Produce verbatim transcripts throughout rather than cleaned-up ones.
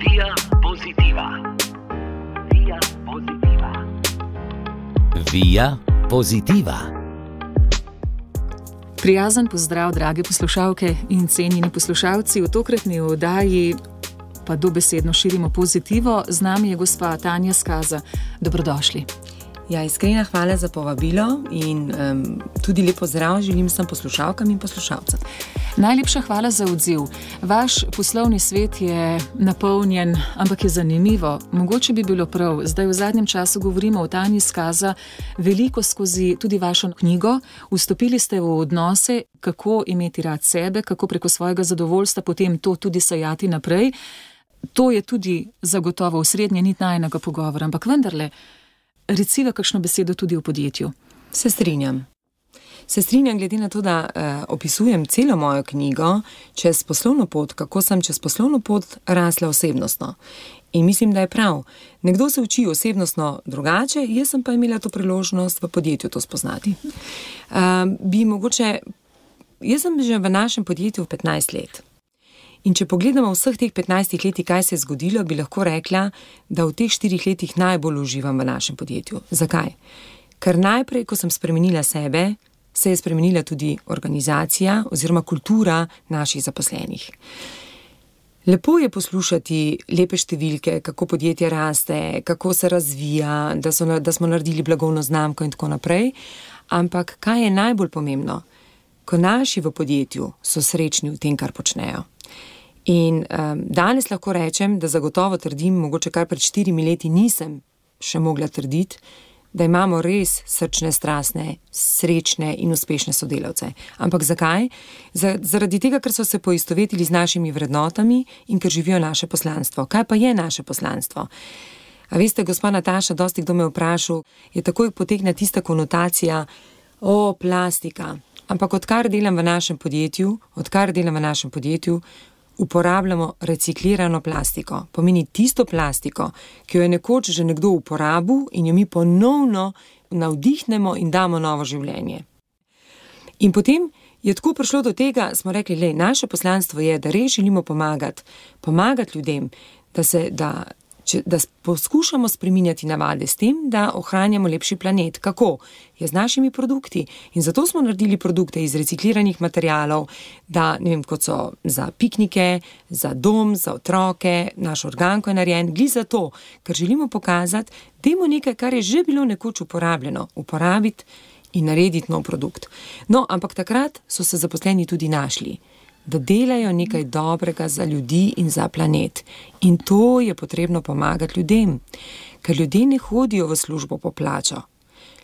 Via Positiva. Via Positiva. Via Positiva. Prijazen pozdrav, drage poslušalke in cenjeni poslušalci. V tokratni oddaji pa dobesedno širimo pozitivo. Z nami je gospa Tanja Skaza. Dobrodošli. Ja, iskrena hvala za povabilo in um, tudi lep pozdrav želim vsem poslušalkam in poslušalcem. Najlepša hvala za odziv. Vaš poslovni svet je napolnjen, ampak je zanimivo. Mogoče bi bilo prav, zdaj v zadnjem času govorimo o Tanji Skaza veliko skozi tudi vašo knjigo. Vstopili ste v odnose, kako imeti rad sebe, kako preko svojega zadovoljstva potem to tudi sajati naprej. To je tudi zagotovo osrednja nit najinega pogovora, ampak vendarle, reciva kakšno besedo tudi o podjetju. Se strinjam. Se strinjam glede na to, da uh, opisujem celo mojo knjigo čez poslovno pot, kako sem čez poslovno pot rasla osebnostno. In mislim, da je prav. Nekdo se uči osebnostno drugače, jaz sem pa imela to priložnost v podjetju to spoznati. Uh, bi mogoče, jaz sem že v našem podjetju petnajst let. In če pogledamo vseh teh petnajstih letih, kaj se je zgodilo, bi lahko rekla, da v teh štirih letih najbolj uživam v našem podjetju. Zakaj? Ker najprej, ko sem spremenila sebe, se je spremenila tudi organizacija oziroma kultura naših zaposlenih. Lepo je poslušati lepe številke, kako podjetje raste, kako se razvija, da, so, da smo naredili blagovno znamko in tako naprej, ampak kaj je najbolj pomembno? Ko naši v podjetju so srečni v tem, kar počnejo. In um, danes lahko rečem, da zagotovo trdim, mogoče kar pred štirimi leti nisem še mogla trditi, da imamo res srčne, strastne, srečne in uspešne sodelavce. Ampak zakaj? Zaradi tega, ker so se poistovetili z našimi vrednotami in ker živijo naše poslanstvo. Kaj pa je naše poslanstvo? A veste, gospa Nataša, dosti kdo me vprašal, je takoj potegne tista konotacija, o, plastika. Ampak odkar delam v našem podjetju, odkar delam v našem podjetju, uporabljamo reciklirano plastiko. Pomeni tisto plastiko, ki jo je nekoč že nekdo uporabil in jo mi ponovno navdihnemo in damo novo življenje. In potem je tako prišlo do tega, smo rekli, lej, naše poslanstvo je, da res želimo pomagati, pomagati ljudem, da se, da Če, da poskušamo spreminjati navade s tem, da ohranjamo lepši planet. Kako? Je z našimi produkti. In zato smo naredili produkte iz recikliranih materialov, da, ne vem, kot so za piknike, za dom, za otroke, naš organko je narejen, gli za to, ker želimo pokazati, dajmo nekaj, kar je že bilo nekoč uporabljeno, uporabiti in narediti nov produkt. No, ampak takrat so se zaposleni tudi našli, da delajo nekaj dobrega za ljudi in za planet. In to je potrebno pomagati ljudem, ker ljudje ne hodijo v službo po plačo.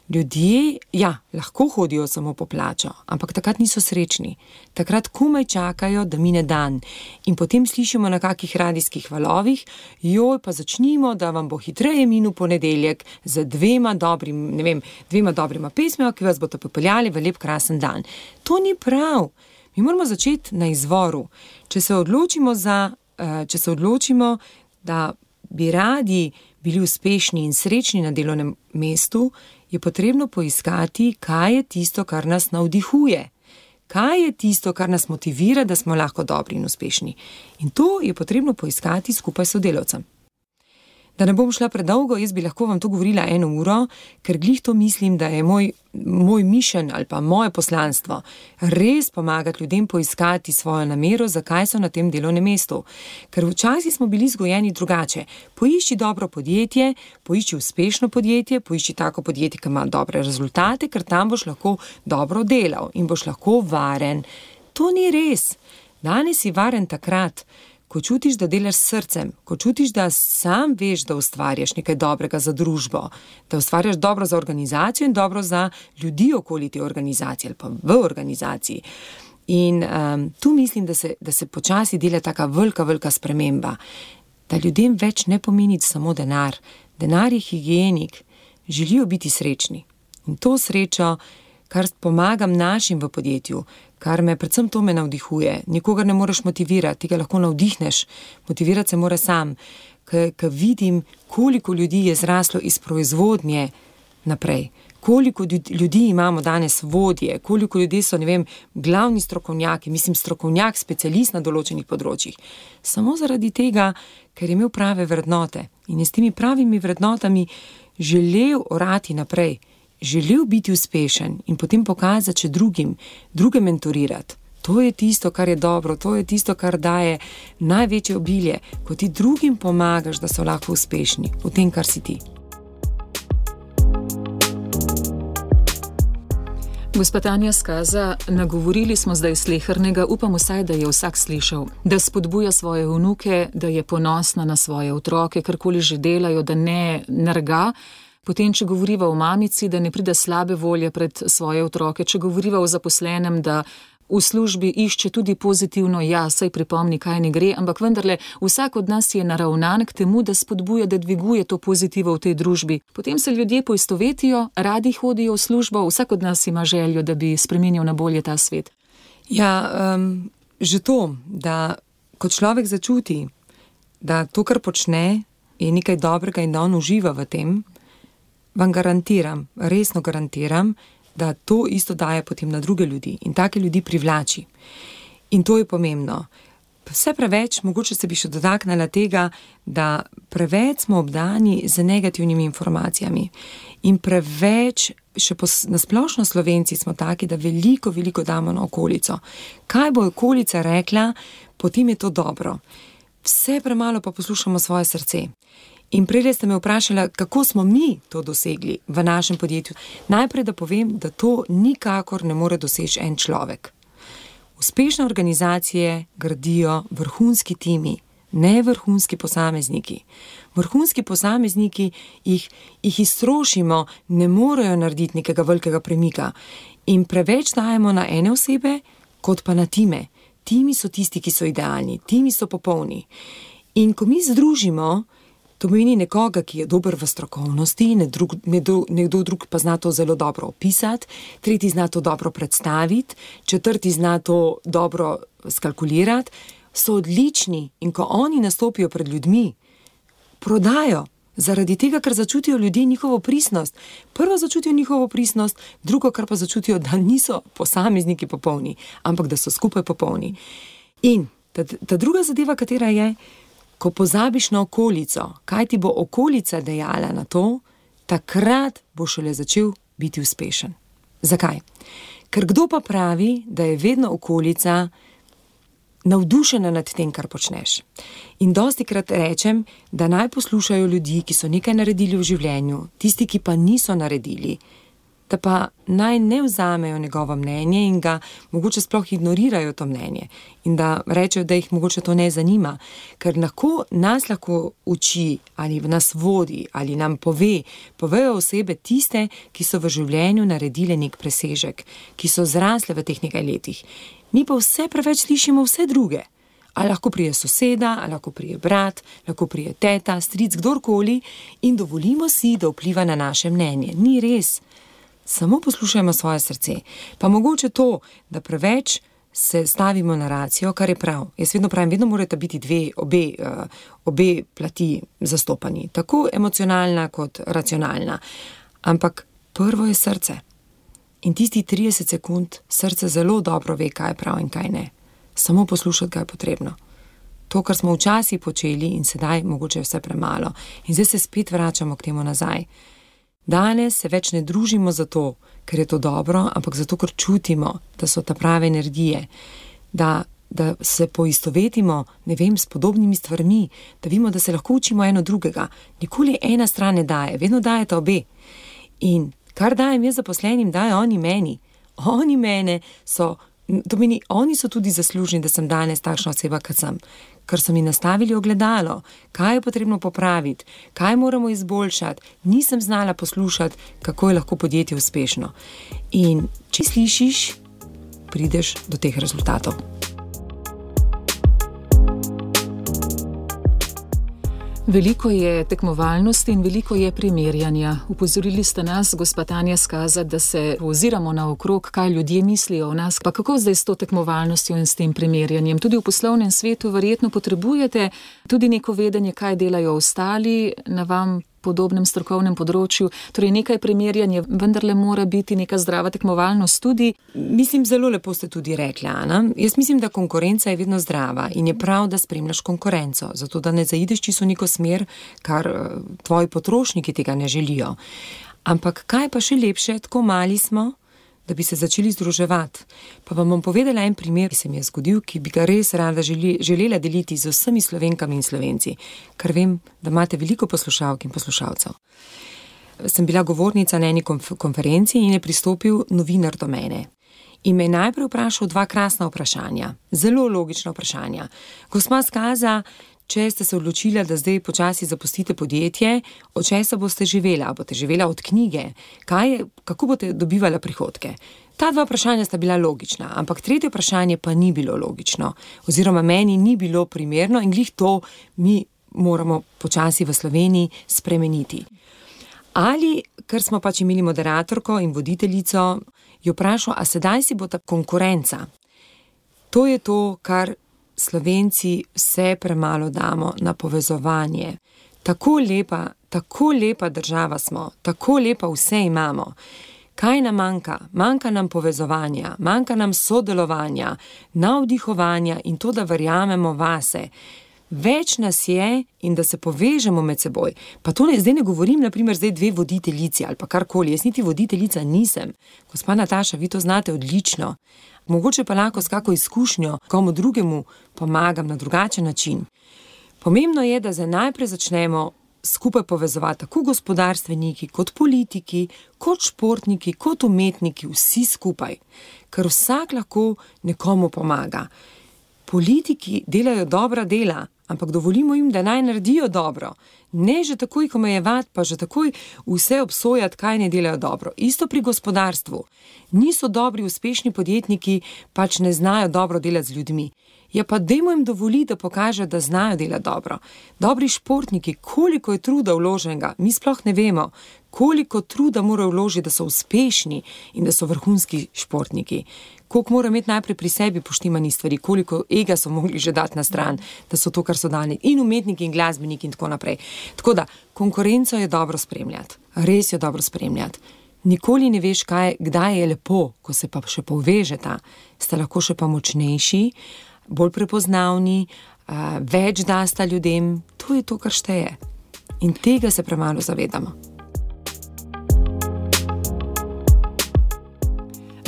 Ljudje, ja, lahko hodijo samo po plačo, ampak takrat niso srečni. Takrat komaj čakajo, da mine dan. In potem slišimo na kakih radijskih valovih, joj, pa začnimo, da vam bo hitreje minil ponedeljek z dvema dobrim, ne vem, dvema dobrima pesmima, ki vas bodo popeljali v lep krasen dan. To ni prav. Mi moramo začeti na izvoru. Če se odločimo za, če se odločimo, da bi radi bili uspešni in srečni na delovnem mestu, je potrebno poiskati, kaj je tisto, kar nas navdihuje. Kaj je tisto, kar nas motivira, da smo lahko dobri in uspešni. In to je potrebno poiskati skupaj s sodelavcem. Da ne bom šla predolgo, jaz bi lahko vam to govorila eno uro, ker glih to mislim, da je moj, moj mišljen ali pa moje poslanstvo res pomagati ljudem poiskati svojo namero, zakaj so na tem delovnem mestu. Ker včasih smo bili vzgojeni drugače. Poišči dobro podjetje, poišči uspešno podjetje, poišči tako podjetje, ki ima dobre rezultate, ker tam boš lahko dobro delal in boš lahko varen. To ni res. Danes si varen takrat, ko čutiš, da delaš s srcem, ko čutiš, da sam veš, da ustvarjaš nekaj dobrega za družbo, da ustvarjaš dobro za organizacijo in dobro za ljudi okoli te organizacije ali pa v organizaciji. In um, tu mislim, da se, da se počasi dela taka velika, velika sprememba, da ljudem več ne pomeni samo denar. Denar je higienik, želijo biti srečni. In to srečo, kar pomagam našim v podjetju, kar me, predvsem to me navdihuje. Nikogar ne moreš motivirati, ti ga lahko navdihneš. Motivirati se mora sam, ker vidim, koliko ljudi je zraslo iz proizvodnje naprej. koliko ljudi imamo danes vodje, koliko ljudi so, ne vem, glavni strokovnjaki, mislim strokovnjak, specialist na določenih področjih. Samo zaradi tega, ker je imel prave vrednote in je s temi pravimi vrednotami želel orati naprej, želel biti uspešen in potem pokazati še drugim, druge mentorirati. To je tisto, kar je dobro, to je tisto, kar daje največje obilje, ko ti drugim pomagaš, da so lahko uspešni v tem, kar si ti. Gospa Tanja Skaza, nagovorili smo zdaj slehernega, upam vsaj, da je vsak slišal, da spodbuja svoje vnuke, da je ponosna na svoje otroke, karkoli že delajo, da ne nerga. Potem, če govoriva o mamici, da ne pride slabe volje pred svoje otroke, če govoriva o zaposlenem, da v službi išče tudi pozitivno, ja, saj pripomni, kaj ne gre, ampak vendarle vsak od nas je naravnan k temu, da spodbuja, da dviguje to pozitivo v tej družbi. Potem se ljudje poistovetijo, radi hodijo v službo, vsak od nas ima željo, da bi spremenil na bolje ta svet. Ja, um, že to, da kot človek začuti, da to, kar počne, je nekaj dobrega in da on uživa v tem, vam garantiram, resno garantiram, da to isto daje potem na druge ljudi in take ljudi privlači. In to je pomembno. Vse preveč, mogoče se bi še dotaknila tega, da preveč smo obdani z negativnimi informacijami in preveč, še nasplošno Slovenci smo taki, da veliko, veliko damo na okolico. Kaj bo okolica rekla, potem je to dobro. Vse premalo pa poslušamo svoje srce. In prej ste me vprašali, kako smo mi to dosegli v našem podjetju. Najprej, da povem, da to nikakor ne more doseči en človek. Uspešne organizacije gradijo vrhunski timi, ne vrhunski posamezniki. Vrhunski posamezniki jih, jih iztrošimo, ne morejo narediti nekega velikega premika. In preveč dajemo na ene osebe, kot pa na time. Timi so tisti, ki so idealni, timi so popolni. In ko mi združimo, to pomeni nekoga, ki je dober v strokovnosti, nekdo drug pa zna to zelo dobro opisati, tretji zna to dobro predstaviti, četrti zna to dobro skalkulirati, so odlični in ko oni nastopijo pred ljudmi, prodajo, zaradi tega, ker začutijo ljudje njihovo pristnost. Prvo začutijo njihovo pristnost, drugo, kar pa začutijo, da niso posamezniki popolni, ampak da so skupaj popolni. In ta, ta druga zadeva, katera je, ko pozabiš na okolico, kaj ti bo okolica dejala na to, takrat bo šele začel biti uspešen. Zakaj? Ker kdo pa pravi, da je vedno okolica navdušena nad tem, kar počneš. In dostikrat rečem, da naj poslušajo ljudi, ki so nekaj naredili v življenju, tisti, ki pa niso naredili, da pa naj ne vzamejo njegovo mnenje in ga mogoče sploh ignorirajo to mnenje in da rečejo, da jih mogoče to ne zanima, ker lahko nas lahko uči ali nas vodi ali nam pove, povejo osebe tiste, ki so v življenju naredile nek presežek, ki so zrasle v teh nekaj letih. Mi pa vse preveč slišimo vse druge. Ali lahko prije soseda, ali lahko prije brat, lahko prije teta, stric, kdorkoli in dovolimo si, da vpliva na naše mnenje. Ni res. Samo poslušajmo svoje srce. Pa mogoče to, da preveč se stavimo na racijo, kar je prav. Jaz vedno pravim, vedno morate biti dve, obe, uh, obe plati zastopani. Tako emocionalna kot racionalna. Ampak prvo je srce. In tisti trideset sekund srce zelo dobro ve, kaj je prav in kaj ne. Samo poslušati, kaj je potrebno. To, kar smo včasih počeli in sedaj mogoče vse premalo. In zdaj se spet vračamo k temu nazaj. Danes se več ne družimo zato, ker je to dobro, ampak zato, ker čutimo, da so ta prave energije, da, da se poistovetimo, ne vem, s podobnimi stvarmi, da vidimo, da se lahko učimo eno drugega. Nikoli ena stran ne daje, vedno dajete obe. In kar dajem jaz zaposlenim, dajo oni meni. Oni mene so, to meni, oni so tudi zaslužni, da sem danes takšna oseba, kot sem. Ker so mi nastavili ogledalo, kaj je potrebno popraviti, kaj moramo izboljšati, nisem znala poslušati, kako je lahko podjetje uspešno. In če slišiš, prideš do teh rezultatov. Veliko je tekmovalnosti in veliko je primerjanja. Upozorili ste nas, gospa Tanja Skaza, da se oziramo naokrog, kaj ljudje mislijo o nas. Pa kako zdaj s to tekmovalnostjo in s tem primerjanjem? Tudi v poslovnem svetu verjetno potrebujete tudi neko vedenje, kaj delajo ostali, na vam podobnem strokovnem področju. Torej nekaj primerjanja vendarle mora biti neka zdrava tekmovalnost tudi. Mislim, zelo lepo ste tudi rekli, Ana. Jaz mislim, da konkurenca je vedno zdrava in je prav, da spremljaš konkurenco, zato da ne zaideš čisto v neko smer, kar tvoji potrošniki tega ne želijo. Ampak kaj pa še lepše, tako mali smo, da bi se začeli združevati. Pa vam bom povedala en primer, ki se mi je zgodil, ki bi ga res rada želi, želela deliti z vsemi Slovenkami in Slovenci, ker vem, da imate veliko poslušalk in poslušalcev. Sem bila govornica na eni konf- konferenci in je pristopil novinar do mene. In me je najprej vprašal dva krasna vprašanja, zelo logična vprašanja. Gospa Skaza, če ste se odločila, da zdaj počasi zapustite podjetje, od česa boste živela? Boste živela od knjige? Kaj je, kako boste dobivala prihodke? Ta dva vprašanja sta bila logična, ampak tretje vprašanje pa ni bilo logično. Oziroma meni ni bilo primerno in glih to mi moramo počasi v Sloveniji spremeniti. Ali, ker smo pač imeli moderatorko in voditeljico, jo vprašal, a sedaj si bo ta konkurenca. To je to, kar Slovenci vse premalo damo na povezovanje. Tako lepa, tako lepa država smo, tako lepa vse imamo. Kaj nam manjka? Manjka nam povezovanja, manjka nam sodelovanja, navdihovanja in to, da verjamemo vase. Več nas je in da se povežemo med seboj. Pa to ne, zdaj ne govorim, naprimer, zdaj dve voditeljici ali pa karkoli. Jaz niti voditeljica nisem. Gospa Nataša, vi to znate odlično. Mogoče pa lahko s kako izkušnjo komu drugemu pomagam na drugačen način. Pomembno je, da zdaj najprej začnemo skupaj povezovati tako gospodarstveniki, kot politiki, kot športniki, kot umetniki, vsi skupaj. Ker vsak lahko nekomu pomaga. Politiki delajo dobra dela, ampak dovolimo jim, da naj naredijo dobro. Ne že takoj omejevati, pa že takoj vse obsojati, kaj ne delajo dobro. Isto pri gospodarstvu. Niso dobri, uspešni podjetniki, pač ne znajo dobro delati z ljudmi. Ja pa dajmo jim dovoliti, da pokažejo, da znajo delati dobro. Dobri športniki, koliko je truda vloženega, mi sploh ne vemo, koliko truda morajo vložiti, da so uspešni in da so vrhunski športniki. Koliko morajo imeti najprej pri sebi poštimani stvari, koliko ega so mogli že dati na stran, da so to, kar so dali, in umetniki in glasbeniki in tako naprej. Tako da, konkurenco je dobro spremljati, res je dobro spremljati. Nikoli ne veš, kaj, kdaj je lepo, ko se pa še povežeta, ste lahko še pa močnejši, bolj prepoznavni, uh, več dasta ljudem, to je to, kar šteje. In tega se premalo zavedamo.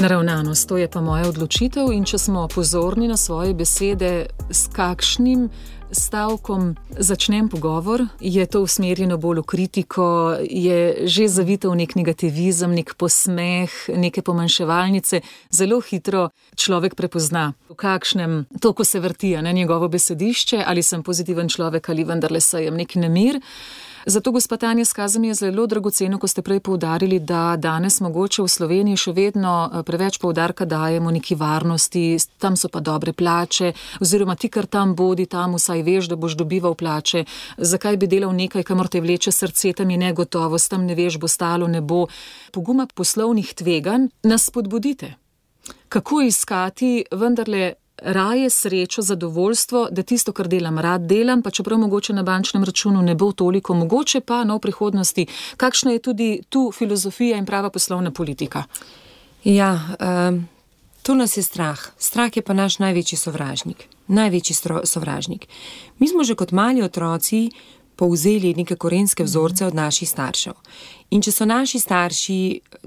Naravnanost, to je pa moja odločitev in če smo pozorni na svoje besede, s kakšnim stavkom začnem pogovor, je to usmerjeno bolj v kritiko, je že zavito v nek negativizem, nek posmeh, neke pomanjševalnice, zelo hitro človek prepozna, v kakšnem toku se vrti na njegovo besedišče, ali sem pozitiven človek ali vendarle sejem nek nemir. Zato, gospa Tanja Skaza, mi je zelo dragoceno, ko ste prej poudarili, da danes mogoče v Sloveniji še vedno preveč poudarka dajemo neki varnosti, tam so pa dobre plače, oziroma ti, kar tam bodi, tam vsaj veš, da boš dobival plače. Zakaj bi delal nekaj, kamor te vleče srce, tam je negotovost, tam ne veš, bo stalo, ne bo. Poguma poslovnih tveganj nas spodbudite. Kako iskati vendarle raje srečo, zadovoljstvo, da tisto, kar delam, rad delam, pa čeprav mogoče na bančnem računu ne bo toliko, mogoče pa no, v prihodnosti. Kakšna je tudi tu filozofija in prava poslovna politika? Ja, um, to nas je strah. Strah je pa naš največji sovražnik. Največji stro, sovražnik. Mi smo že kot mali otroci povzeli neke korenske vzorce od naših staršev. In če so naši starši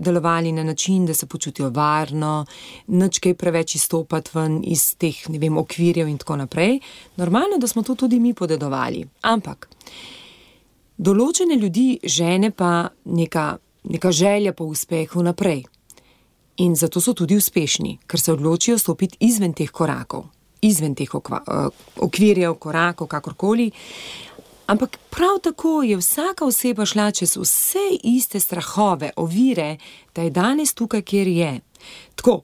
delovali na način, da se počutijo varno, nič kaj preveč izstopati ven iz teh, ne vem, okvirjev in tako naprej, normalno, da smo to tudi mi podedovali. Ampak določene ljudi žene pa neka, neka želja po uspehu naprej. In zato so tudi uspešni, ker se odločijo stopiti izven teh korakov, izven teh okva, okvirjev, korakov, kakorkoli. Ampak prav tako je vsaka oseba šla čez vse iste strahove, ovire, da je danes tukaj, kjer je. Tako,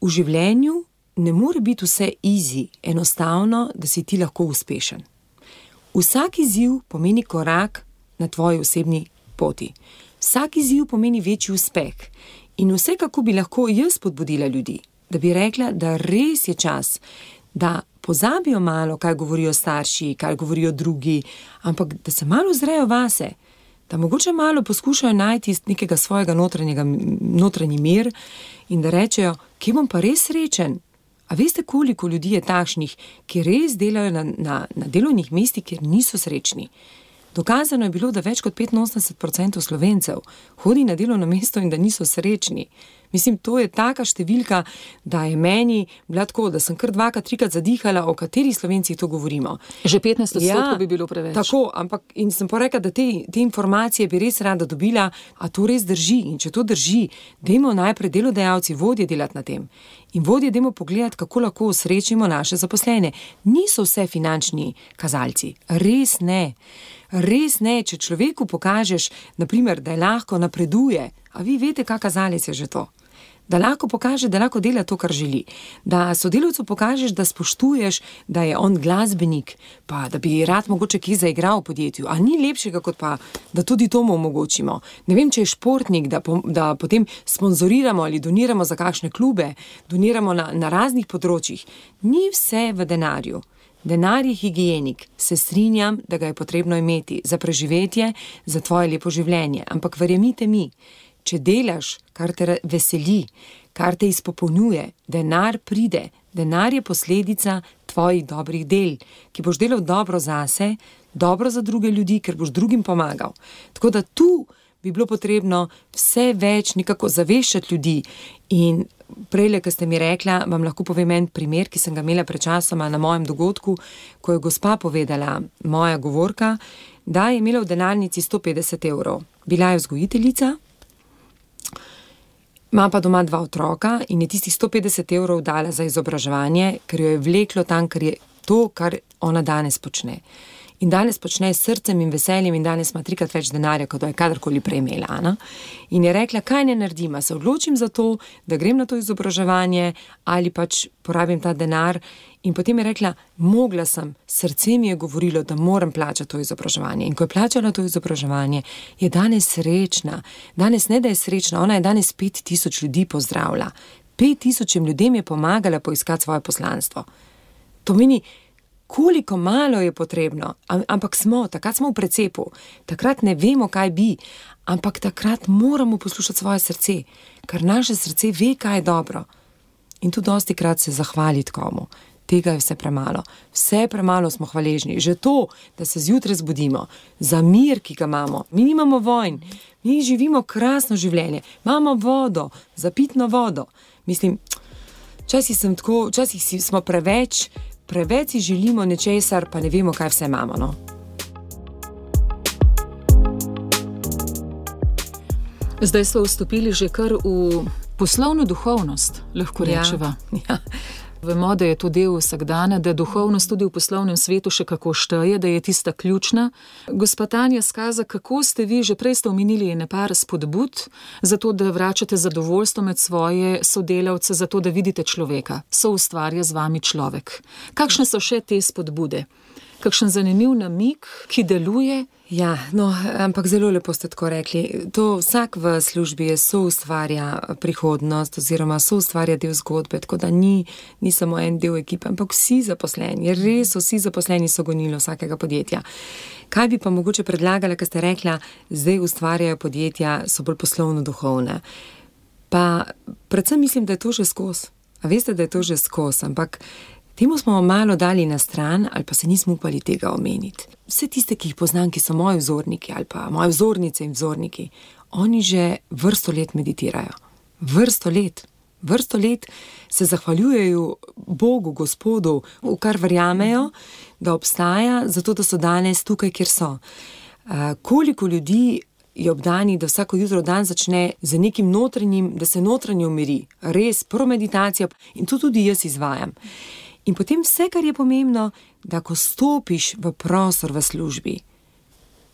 v življenju ne more biti vse easy, enostavno, da si ti lahko uspešen. Vsak izziv pomeni korak na tvoji osebni poti. Vsak izziv pomeni večji uspeh. In vse, kako bi lahko jaz spodbudila ljudi, da bi rekla, da res je čas, da pozabijo malo, kaj govorijo starši, kaj govorijo drugi, ampak da se malo zrejo vase, da mogoče malo poskušajo najti nekega svojega notranjega, notranji mir in da rečejo, kje bom pa res srečen. A veste, koliko ljudi je takšnih, ki res delajo na, na, na delovnih mestih, kjer niso srečni? Dokazano je bilo, da več kot petinosemdeset procentov Slovencev hodi na delovno mesto in da niso srečni. Mislim, to je taka številka, da je meni bila tako, da sem kar dvakrat, trikrat zadihala, o katerih Slovencih to govorimo. Že petnajst odstotkov Ja, bi bilo preveč. Tako, ampak in sem pa rekla, da te, te informacije bi res rada dobila, a to res drži. In če to drži, dajmo najprej delodajalci, vodje delati na tem. In vodje dajmo pogledati, kako lahko osrečimo naše zaposlene. Niso vse finančni kazalci. Res ne. Res ne, če človeku pokažeš, naprimer, da je lahko napreduje, a vi veste, kak kazalec je že to. Da lahko pokaže, da lahko dela to, kar želi. Da sodelavcu pokažeš, da spoštuješ, da je on glasbenik, pa da bi rad mogoče kje zaigral v podjetju. A ni lepšega, kot pa, da tudi to mu omogočimo. Ne vem, če je športnik, da, po, da potem sponzoriramo ali doniramo za kakšne klube, doniramo na, na raznih področjih. Ni vse v denarju. Denar je higienik, se strinjam, da ga je potrebno imeti za preživetje, za tvoje lepo življenje. Ampak verjemite mi, če delaš, kar te veseli, kar te izpopolnjuje, denar pride, denar je posledica tvojih dobrih del, ki boš delal dobro zase, dobro za druge ljudi, ker boš drugim pomagal. Tako da tu bi bilo potrebno vse več nekako zaveščati ljudi. In prejle, ko ste mi rekla, vam lahko povem en primer, ki sem ga imela pred časoma na mojem dogodku, ko je gospa povedala, moja govorka, da je imela v denarnici sto petdeset evrov. Bila je vzgojiteljica, ima pa doma dva otroka in je tistih sto petdeset evrov dala za izobraževanje, ker jo je vleklo tam, ker je to, kar ona danes počne. In danes počne s srcem in veseljem in danes ima trikrat več denarja, kot je kadarkoli prej imela. Ne? In je rekla, kaj ne naredim, se odločim za to, da grem na to izobraževanje ali pač porabim ta denar. In potem je rekla, mogla sem, srce mi je govorilo, da moram plačati to izobraževanje. In ko je plačala to izobraževanje, je danes srečna. Danes ne, da je srečna, ona je danes pet tisoč ljudi pozdravila. Pet tisočim ljudem je pomagala poiskati svoje poslanstvo. To meni, koliko malo je potrebno, ampak smo, takrat smo v precepu, takrat ne vemo, kaj bi, ampak takrat moramo poslušati svoje srce, ker naše srce ve, kaj je dobro. In tu dosti krat se zahvaliti komu. Tega je vse premalo. Vse premalo smo hvaležni. Že to, da se zjutraj zbudimo, za mir, ki ga imamo. Mi nimamo vojn, mi živimo krasno življenje, imamo vodo, za pitno vodo. Mislim, včasih sem tako, včasih smo preveč, Preveč si želimo nečesar, pa ne vemo, kaj vse imamo. No? Zdaj smo vstopili že kar v poslovno duhovnost, lahko rečeva. Ja, ja. Vemo, da je to del vsakdana, da duhovnost tudi v poslovnem svetu še kako šteje, da je tista ključna. Gospa Tanja Skaza, kako ste vi, že prej ste omenili nepar spodbud, zato da vračate zadovoljstvo med svoje sodelavce, zato da vidite človeka, soustvarja z vami človek. Kakšne so še te spodbude? Kakšen zanimiv namig, ki deluje? Ja, no, ampak zelo lepo ste tako rekli. To vsak v službi je soustvarja prihodnost oziroma soustvarja del zgodbe, tako da ni, ni samo en del ekipe, ampak vsi zaposleni, res vsi zaposleni so gonilo vsakega podjetja. Kaj bi pa mogoče predlagala, ko ste rekla, zdaj ustvarjajo podjetja, so bolj poslovno duhovne. Pa predvsem mislim, da je to že skozi. A veste, da je to že skozi, ampak temu smo malo dali na stran ali pa se nismo upali tega omeniti. Vse tiste, ki jih poznam, ki so moji vzorniki ali pa moje vzornice in vzorniki, oni že vrsto let meditirajo. Vrsto let. Vrsto let se zahvaljujejo Bogu, Gospodu, v kar verjamejo, da obstaja, zato da so danes tukaj, kjer so. Uh, koliko ljudi je obdani, da vsako jutro dan začne z nekim notranjim, da se notranje umiri. Res, prvo meditacijo in to tudi jaz izvajam. In potem vse, kar je pomembno, da ko stopiš v prostor v službi,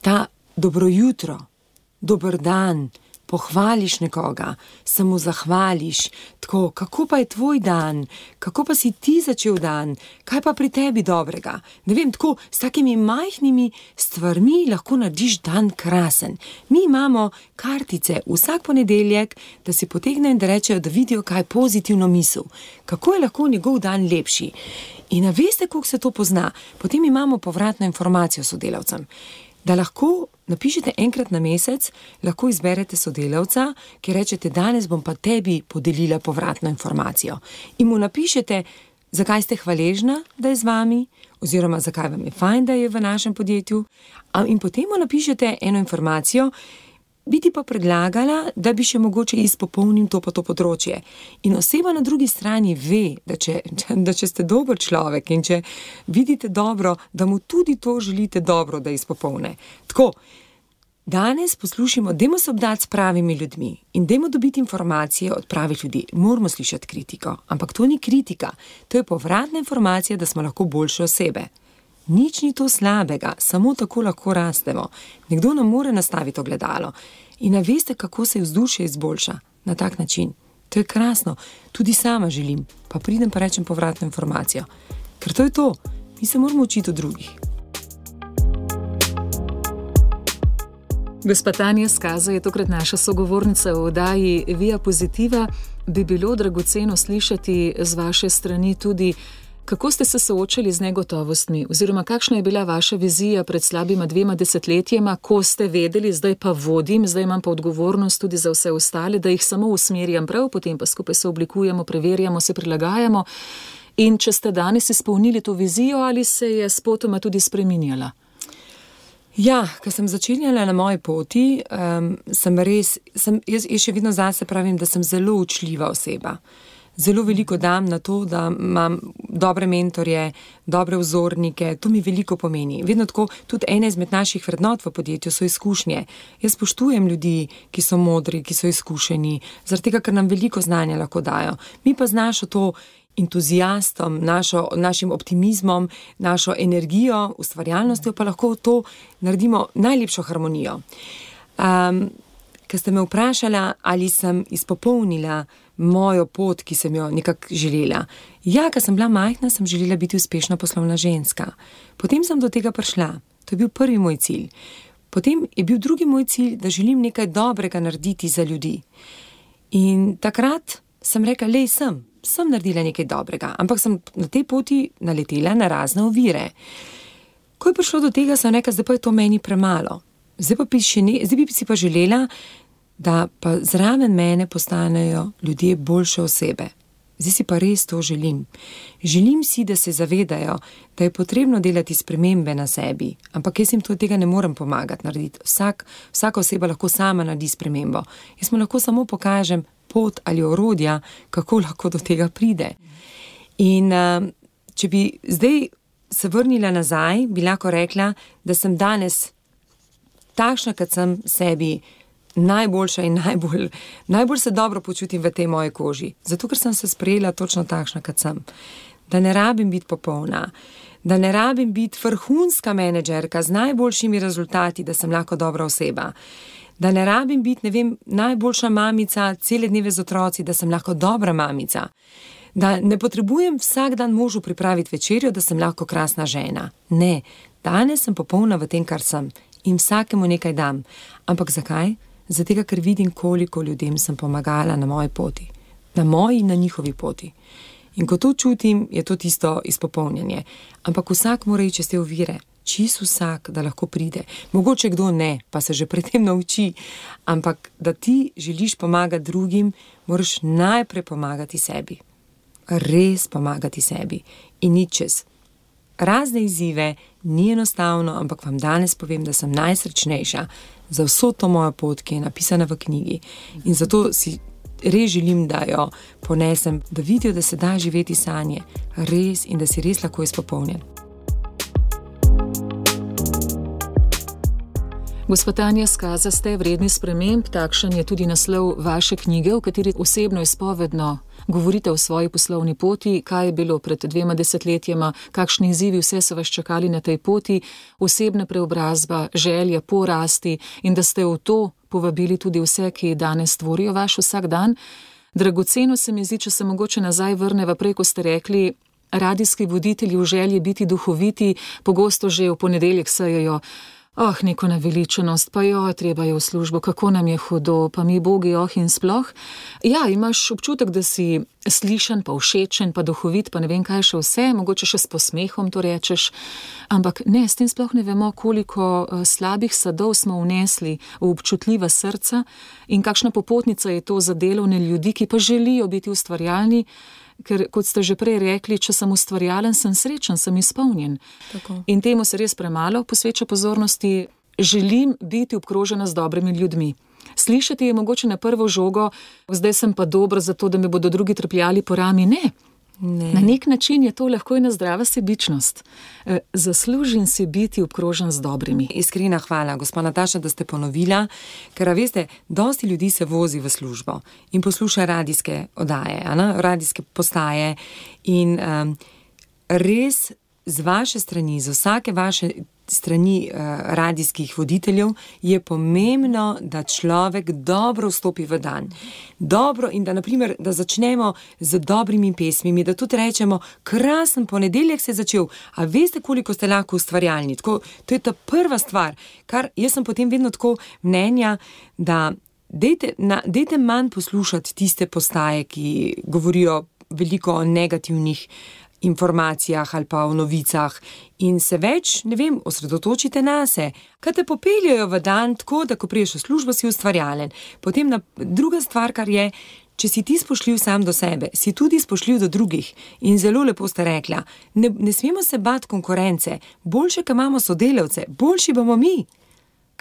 ta dobro jutro, dober dan, pohvališ nekoga, se mu zahvališ, tako, kako pa je tvoj dan, kako pa si ti začel dan, kaj pa pri tebi dobrega. Ne vem, tako, s takimi majhnimi stvarmi lahko narediš dan krasen. Mi imamo kartice vsak ponedeljek, da si potegnejo in da rečejo, da vidijo, kaj je pozitivno misel, kako je lahko njegov dan lepši. In a veste, koliko se to pozna, potem imamo povratno informacijo sodelavcem. da lahko napišete enkrat na mesec, lahko izberete sodelavca, ki rečete, danes bom pa tebi podelila povratno informacijo. In mu napišete, zakaj ste hvaležna, da je z vami, oziroma zakaj vam je fajn, da je v našem podjetju. In potem mu napišete eno informacijo, bi ti pa predlagala, da bi še mogoče izpopolnil to pa to področje. In oseba na drugi strani ve, da če, da če ste dober človek in če vidite dobro, da mu tudi to želite dobro, da izpopolne. Tako, danes poslušamo, dajmo se obdati s pravimi ljudmi in dajmo dobiti informacije od pravih ljudi. Moramo slišati kritiko, ampak to ni kritika, to je povratna informacija, da smo lahko boljše osebe. Nič ni to slabega, samo tako lahko rastemo. Nekdo nam mora nastaviti ogledalo in veste, kako se vzdušje izboljša na tak način. To je krasno, tudi sama želim, pa pridem pa rečem povratno informacijo. Ker to je to, mi se moramo učiti od drugih. Gospa Tanja Skaza je tokrat naša sogovornica v oddaji Via Positiva. Bi bilo dragoceno slišati z vaše strani tudi, kako ste se soočali z negotovostmi, oziroma kakšna je bila vaša vizija pred slabima dvema desetletjema, ko ste vedeli, zdaj pa vodim, zdaj imam pa odgovornost tudi za vse ostale, da jih samo usmerjam prav, potem pa skupaj se oblikujemo, preverjamo, se prilagajamo. In če ste danes izpolnili to vizijo, ali se je spotoma tudi spreminjala? Ja, ko sem začenjala na moji poti, um, sem res, sem, jaz, jaz še vedno zase pravim, da sem zelo učljiva oseba. Zelo veliko dam na to, da imam dobre mentorje, dobre vzornike, to mi veliko pomeni. Vedno tako, tudi ena izmed naših vrednot v podjetju so izkušnje. Jaz spoštujem ljudi, ki so modri, ki so izkušeni, zaradi tega, ker nam veliko znanja lahko dajo. Mi pa z našo to entuzijastom, našo, našim optimizmom, našo energijo, ustvarjalnostjo pa lahko to naredimo najlepšo harmonijo. Um, Ker ste me vprašala, ali sem izpopolnila mojo pot, ki sem jo nekako želela. Ja, ko sem bila majhna, sem želela biti uspešna poslovna ženska. Potem sem do tega prišla. To je bil prvi moj cilj. Potem je bil drugi moj cilj, da želim nekaj dobrega narediti za ljudi. In takrat sem rekla, lej, sem, sem naredila nekaj dobrega, ampak sem na tej poti naletela na razne ovire. Ko je prišlo do tega, sem rekla, zdaj pa je to meni premalo. Zdaj, pa bi ne, zdaj bi si pa želela, da pa zraven mene postanejo ljudje boljše osebe. Zdaj si pa res to želim. Želim si, da se zavedajo, da je potrebno delati spremembe na sebi, ampak jaz jim to tega ne morem pomagati narediti. Vsak, vsaka oseba lahko sama naredi spremembo. Jaz mu lahko samo pokažem pot ali orodja, kako lahko do tega pride. In uh, če bi zdaj se vrnila nazaj, bi lahko rekla, da sem danes takšna, kot sem sebi, najboljša in najbolj, najbolj se dobro počutim v tej moji koži. Zato, ker sem se sprejela točno takšna, kot sem. Da ne rabim biti popolna, da ne rabim biti vrhunska menedžerka z najboljšimi rezultati, da sem lahko dobra oseba. Da ne rabim biti, ne vem, najboljša mamica cele dneve z otroci, da sem lahko dobra mamica. Da ne potrebujem vsak dan možu pripraviti večerjo, da sem lahko krasna žena. Ne, danes sem popolna v tem, kar sem. In vsakemu nekaj dam. Ampak zakaj? Zato, ker vidim, koliko ljudem sem pomagala na moji poti. Na moji in na njihovi poti. In ko to čutim, je to tisto izpopolnjenje. Ampak vsak mora iti čez te ovire. Čist vsak, da lahko pride. Mogoče kdo ne, pa se že predtem nauči. Ampak da ti želiš pomagati drugim, moraš najprej pomagati sebi. Res pomagati sebi. In nič čez. Razne izzive, ni enostavno, ampak vam danes povem, da sem najsrečnejša za vso to mojo pot, ki je napisana v knjigi. In zato si res želim, da jo ponesem, da vidijo, da se da živeti sanje, res, in da si res lahko izpopolnjen. Gospa Tanja Skaza, ste vredni sprememb, takšen je tudi naslov vaše knjige, v kateri osebno izpovedno govorite o svoji poslovni poti, kaj je bilo pred dvema desetletjema, kakšni izzivi vse so vas čakali na tej poti, osebna preobrazba, želja po rasti in da ste v to povabili tudi vse, ki danes tvorijo vaš vsak dan. Dragoceno se mi zdi, če se mogoče nazaj vrneva prej, ko ste rekli, radijski voditelji v želji biti duhoviti, pogosto že v ponedeljek sejejo Oh, neko naveličenost, pa jo, treba je v službo, kako nam je hudo, pa mi bogi, oh in sploh. Ja, imaš občutek, da si slišan, pa všečen, pa duhovit, pa ne vem kaj še vse, mogoče še s posmehom to rečeš, ampak ne, s tem sploh ne vemo, koliko slabih sadov smo vnesli v občutljiva srca in kakšna popotnica je to za delovne ljudi, ki pa želijo biti ustvarjalni. Ker, kot ste že prej rekli, če sem ustvarjalen, sem srečen, sem izpolnjen. Tako. In temu se res premalo posveča pozornosti. Želim biti obkrožena z dobrimi ljudmi. Slišati je mogoče na prvo žogo, zdaj sem pa dobra zato, da me bodo drugi trpljali po rami. Ne. Ne. Na nek način je to lahko ena zdrava sebičnost. E, zaslužim si biti obkrožen z dobrimi. Iskrena hvala, gospa Nataša, da ste ponovila, ker veste, dosti ljudi se vozi v službo in posluša radijske oddaje, ne? Radijske postaje in um, res z vaše strani, z vsake vaše strani uh, radijskih voditeljev je pomembno, da človek dobro vstopi v dan. Dobro in da, naprimer, da začnemo z dobrimi pesmimi, da tudi rečemo, krasen ponedeljek se je začel, a veste, koliko ste lahko ustvarjalni. Tako, to je ta prva stvar, kar jaz sem potem vedno tako mnenja, da dejte, na, dejte manj poslušati tiste postaje, ki govorijo veliko o negativnih informacijah ali pa o novicah in se več, ne vem, osredotočite nase. Kaj te popeljajo v dan tako, da ko priješ v službo, si ustvarjalen. Potem na, druga stvar, kar je, če si ti spoštljiv sam do sebe, si tudi spoštljiv do drugih. In zelo lepo ste rekla, ne, ne smemo se bati konkurence, boljše, ko imamo sodelavce, boljši bomo mi.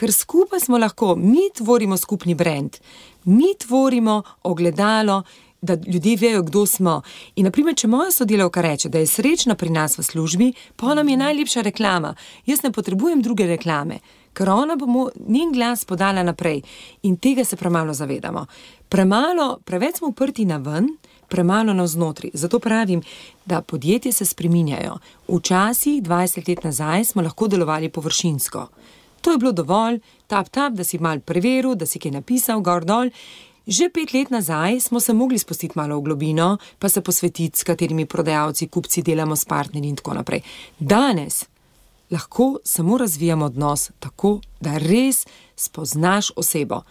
Ker skupaj smo lahko, mi tvorimo skupni brand, mi tvorimo ogledalo, da ljudje vejo, kdo smo. In naprimer, če moja sodelavka reče, da je srečna pri nas v službi, pa nam je najlepša reklama. Jaz ne potrebujem druge reklame, ker ona bo njen glas podala naprej. In tega se premalo zavedamo. Premalo, preveč smo uprti na ven, premalo navznotri. Zato pravim, da podjetje se spreminjajo. Včasih, dvajset let nazaj, smo lahko delovali površinsko. To je bilo dovolj, tap, tap, da si mal preveril, da si kaj napisal, gor dol. Že pet let nazaj smo se mogli spustiti malo v globino, pa se posvetiti, s katerimi prodajalci, kupci delamo s partnerji in tako naprej. Danes lahko samo razvijamo odnos tako, da res spoznaš osebo.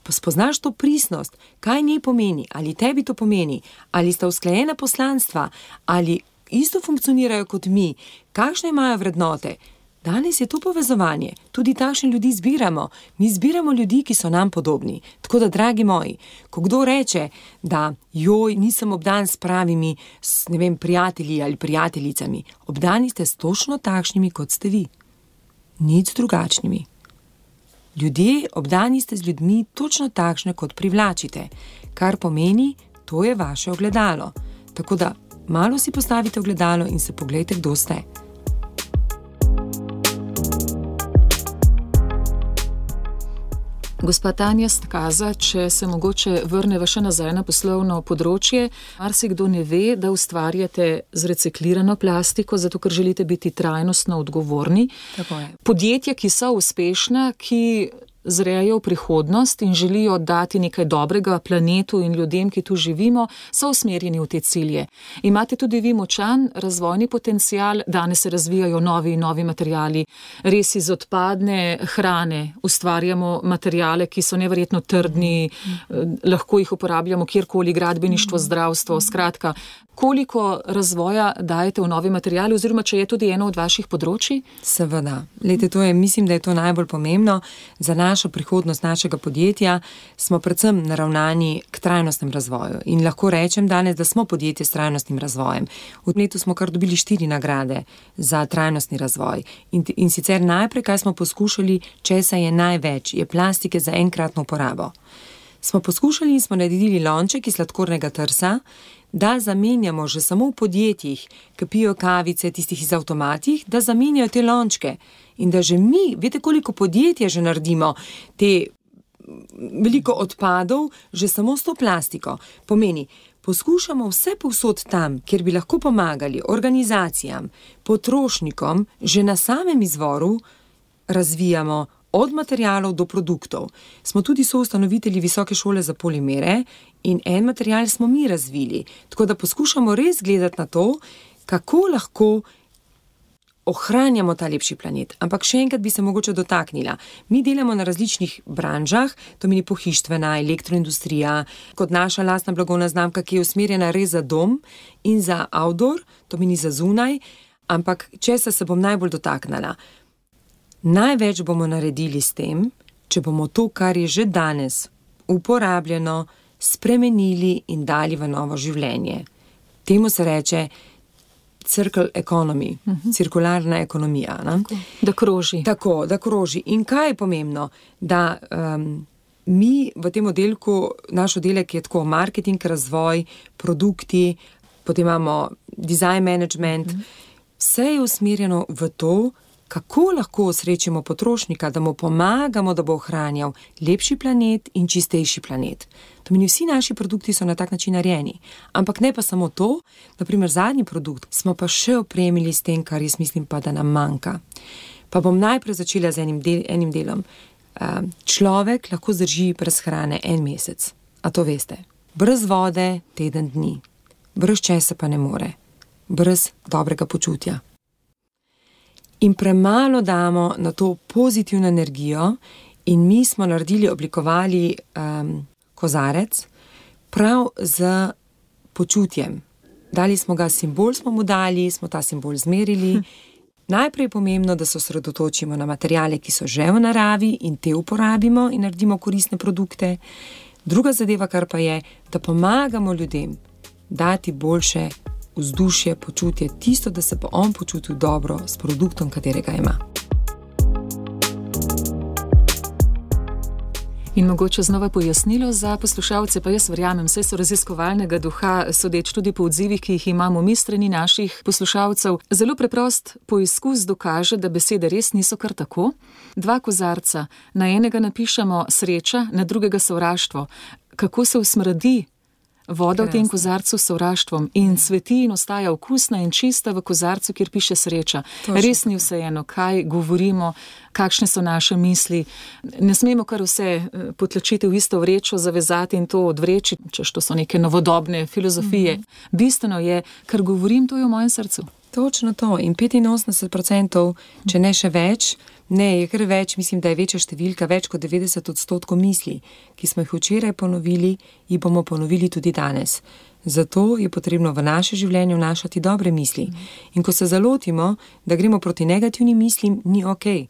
Spoznaš to pristnost, kaj njej pomeni, ali tebi to pomeni, ali sta usklajena poslanstva, ali isto funkcionirajo kot mi, kakšne imajo vrednote. Danes je to povezovanje, tudi takšne ljudi zbiramo. Mi zbiramo ljudi, ki so nam podobni. Tako da, dragi moji, ko kdo reče, da joj, nisem obdan s pravimi, s, ne vem, prijatelji ali prijateljicami, obdani ste s točno takšnimi, kot ste vi. Nič drugačnimi. Ljudje, obdani ste z ljudmi točno takšne, kot privlačite. Kar pomeni, to je vaše ogledalo. Tako da, malo si postavite ogledalo in se poglejte, kdo ste. Gospa Tanja Stkaza, če se mogoče vrneva še nazaj na poslovno področje, marsikdo ne ve, da ustvarjate z reciklirano plastiko, zato ker želite biti trajnostno odgovorni. Tako je. Podjetja, ki so uspešna, ki zrejo v prihodnost in želijo dati nekaj dobrega planetu in ljudem, ki tu živimo, so usmerjeni v te cilje. Imate tudi vi močan razvojni potencial, danes se razvijajo novi in novi materiali. Res iz odpadne hrane ustvarjamo materijale, ki so neverjetno trdni, lahko jih uporabljamo kjerkoli, gradbeništvo, zdravstvo, skratka. Koliko razvoja dajete v novi materijali, oziroma če je tudi eno od vaših področji? Seveda. Lejte, to je, mislim, da je to najbolj pomembno. Za našo prihodnost našega podjetja smo predvsem naravnani k trajnostnem razvoju. In lahko rečem danes, da smo podjetje s trajnostnim razvojem. V letu smo kar dobili štiri nagrade za trajnostni razvoj. In, in sicer najprej, kaj smo poskušali, česa je največ, je plastike za enkratno uporabo. Smo poskušali in smo naredili lonček iz sladkornega trsa, da zamenjamo že samo v podjetjih, ki pijo kavice, tistih iz avtomatih, da zamenjajo te lončke. In da že mi, veste, koliko podjetja že naredimo, te veliko odpadov, že samo s to plastiko. Pomeni, poskušamo vse povsod tam, kjer bi lahko pomagali organizacijam, potrošnikom, že na samem izvoru razvijamo od materialov do produktov. Smo tudi soustanovitelji Visoke šole za polimere in en material smo mi razvili. Tako da poskušamo res gledati na to, kako lahko ohranjamo ta lepši planet. Ampak še enkrat bi se mogoče dotaknila. Mi delamo na različnih branžah, to meni pohištvena, elektroindustrija, kot naša lastna blagovna znamka, ki je usmerjena res za dom in za outdoor, to meni za zunaj, ampak česa se bom najbolj dotaknila. Največ bomo naredili s tem, če bomo to, kar je že danes uporabljeno, spremenili in dali v novo življenje. Temu se reče circle economy, uh-huh. cirkularna ekonomija. Tako, da kroži. Tako, da kroži. In kaj je pomembno? Da um, mi v tem oddelku, naš oddelek je tako marketing, razvoj, produkti, potem imamo design management, uh-huh. vse je usmerjeno v to, kako lahko osrečimo potrošnika, da mu pomagamo, da bo ohranjal lepši planet in čistejši planet. To meni vsi naši produkti so na tak način narejeni. Ampak ne pa samo to, naprimer zadnji produkt smo pa še opremili s tem, kar jaz mislim pa, da nam manjka. Pa bom najprej začela z enim, del, enim delom. Človek lahko zdrži brez hrane en mesec. A to veste? Brez vode teden dni. Brez česa pa ne more. Brez dobrega počutja. In premalo damo na to pozitivno energijo in mi smo naredili, oblikovali um, kozarec prav z počutjem. Dali smo ga simbol, smo mu dali, smo ta simbol zmerili. Hm. Najprej je pomembno, da se osredotočimo na materijale, ki so že v naravi in te uporabimo in naredimo koristne produkte. Druga zadeva, kar pa je, da pomagamo ljudem dati boljše vzdušje, počutje, tisto, da se bo on počutil dobro s produktom, katerega ima. In mogoče znova pojasnilo za poslušalce, pa jaz verjamem, saj so raziskovalnega duha, sodeč tudi po odzivih, ki jih imamo mi strani naših poslušalcev. Zelo preprost poizkus dokaže, da besede res niso kar tako. Dva kozarca, na enega napišemo sreča, na drugega sovraštvo. Kako se usmrdi voda v tem kozarcu s sovraštvom in cveti in ostaja okusna in čista v kozarcu, kjer piše sreča. Točno. Res ni vseeno, kaj govorimo, kakšne so naše misli. Ne smemo kar vse potlačiti v isto vrečo, zavezati in to odvreči, češ to so neke novodobne filozofije. Mm-hmm. Bistveno je, kar govorim, to je v mojem srcu. Točno to. In petinosemdeset procentov, če ne še več, ne, je kar več, mislim, da je večja številka, več kot devetdeset odstotkov misli, ki smo jih včeraj ponovili, jih bomo ponovili tudi danes. Zato je potrebno v naše življenje vnašati dobre misli. In ko se zalotimo, da gremo proti negativnim mislim, ni okej.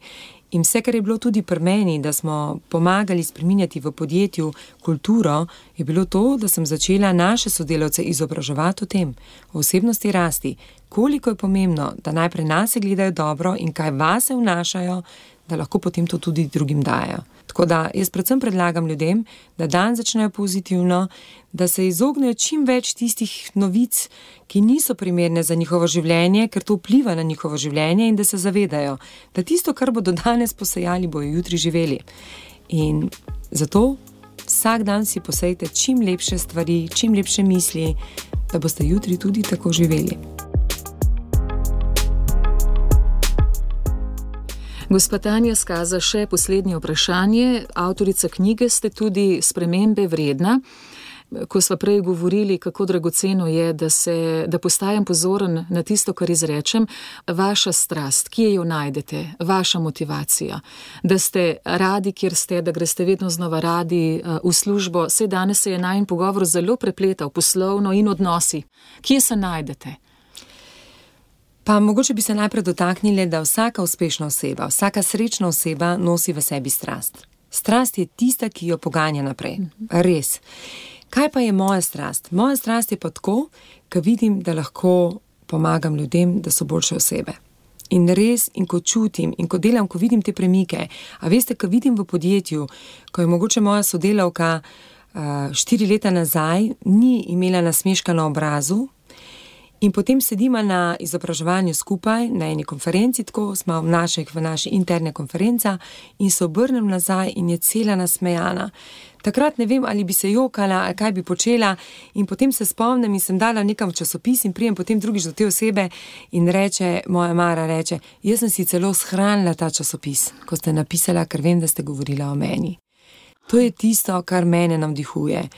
In vse, kar je bilo tudi pri meni, da smo pomagali spreminjati v podjetju kulturo, je bilo to, da sem začela naše sodelavce izobraževati o tem, o osebnosti rasti, koliko je pomembno, da najprej nase gledajo dobro in kaj vase vnašajo, da lahko potem to tudi drugim dajo. Tako da jaz predvsem predlagam ljudem, da dan začnejo pozitivno, da se izognejo čim več tistih novic, ki niso primerne za njihovo življenje, ker to vpliva na njihovo življenje in da se zavedajo, da tisto, kar bodo danes posejali, bojo jutri živeli. In zato vsak dan si posejte čim lepše stvari, čim lepše misli, da boste jutri tudi tako živeli. Gospa Tanja Skaza, še poslednje vprašanje. Avtorica knjige ste tudi Spremembe vredna. Ko sva prej govorili, kako dragoceno je, da, se, da postajam pozoren na tisto, kar izrečem, vaša strast, kje jo najdete, vaša motivacija, da ste radi, kjer ste, da greste vedno znova radi v službo. Saj danes se je najin pogovor zelo prepletal, poslovno in odnosi. Kje se najdete? Pa mogoče bi se najprej dotaknili, da vsaka uspešna oseba, vsaka srečna oseba nosi v sebi strast. Strast je tista, ki jo poganja naprej. Res. Kaj pa je moja strast? Moja strast je pa tako, ko vidim, da lahko pomagam ljudem, da so boljše osebe. In res, in ko čutim, in ko delam, ko vidim te premike. A veste, ko vidim v podjetju, ko je mogoče moja sodelavka uh, štiri leta nazaj, ni imela nasmeška na obrazu, in potem sedimo na izobraževanju skupaj, na eni konferenci, tako smo v naših, v naši interne konferenca in se obrnem nazaj in je cela nasmejana. Takrat ne vem, ali bi se jokala, ali kaj bi počela in potem se spomnim in sem dala nekam v časopis in prijem potem drugič do te osebe in reče, moja Mara reče, jaz sem si celo shranila ta časopis, ko ste napisala, ker vem, da ste govorila o meni. To je tisto, kar mene navdihuje.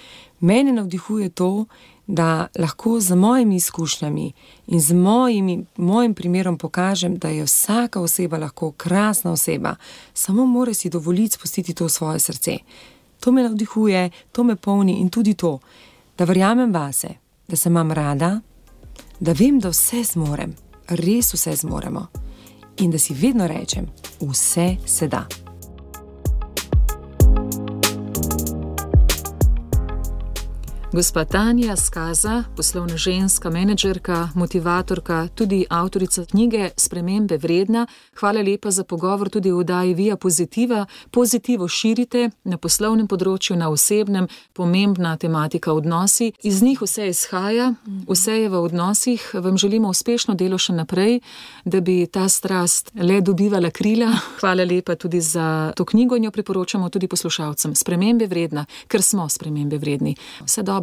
Mene navdihuje to, da lahko z mojimi izkušnjami in z mojimi, mojim primerom pokažem, da je vsaka oseba lahko krasna oseba, samo mora si dovoliti spustiti to v svoje srce. To me navdihuje, to me polni in tudi to, da verjamem vase, da se imam rada, da vem, da vse zmorem, res vse zmoremo in da si vedno rečem, vse se da. Gospa Tanja Skaza, poslovna ženska, menedžerka, motivatorka, tudi avtorica knjige Spremembe vredna. Hvala lepa za pogovor tudi v oddaji Via Pozitiva. Pozitivo širite na poslovnem področju, na osebnem, pomembna tematika odnosi. Iz njih vse izhaja, vse je v odnosih. Vam želimo uspešno delo še naprej, da bi ta strast le dobivala krila. Hvala lepa tudi za to knjigo in jo priporočamo tudi poslušalcem. Spremembe vredna, ker smo spremembe vredni. Vse dobro.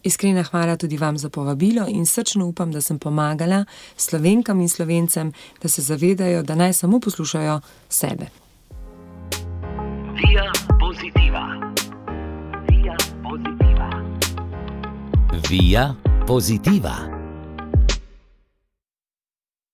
Iskrena hvala tudi vam za povabilo in srčno upam, da sem pomagala Slovenkam in Slovencem, da se zavedajo, da naj samo poslušajo sebe. Via Positiva. Via Positiva. Via Positiva.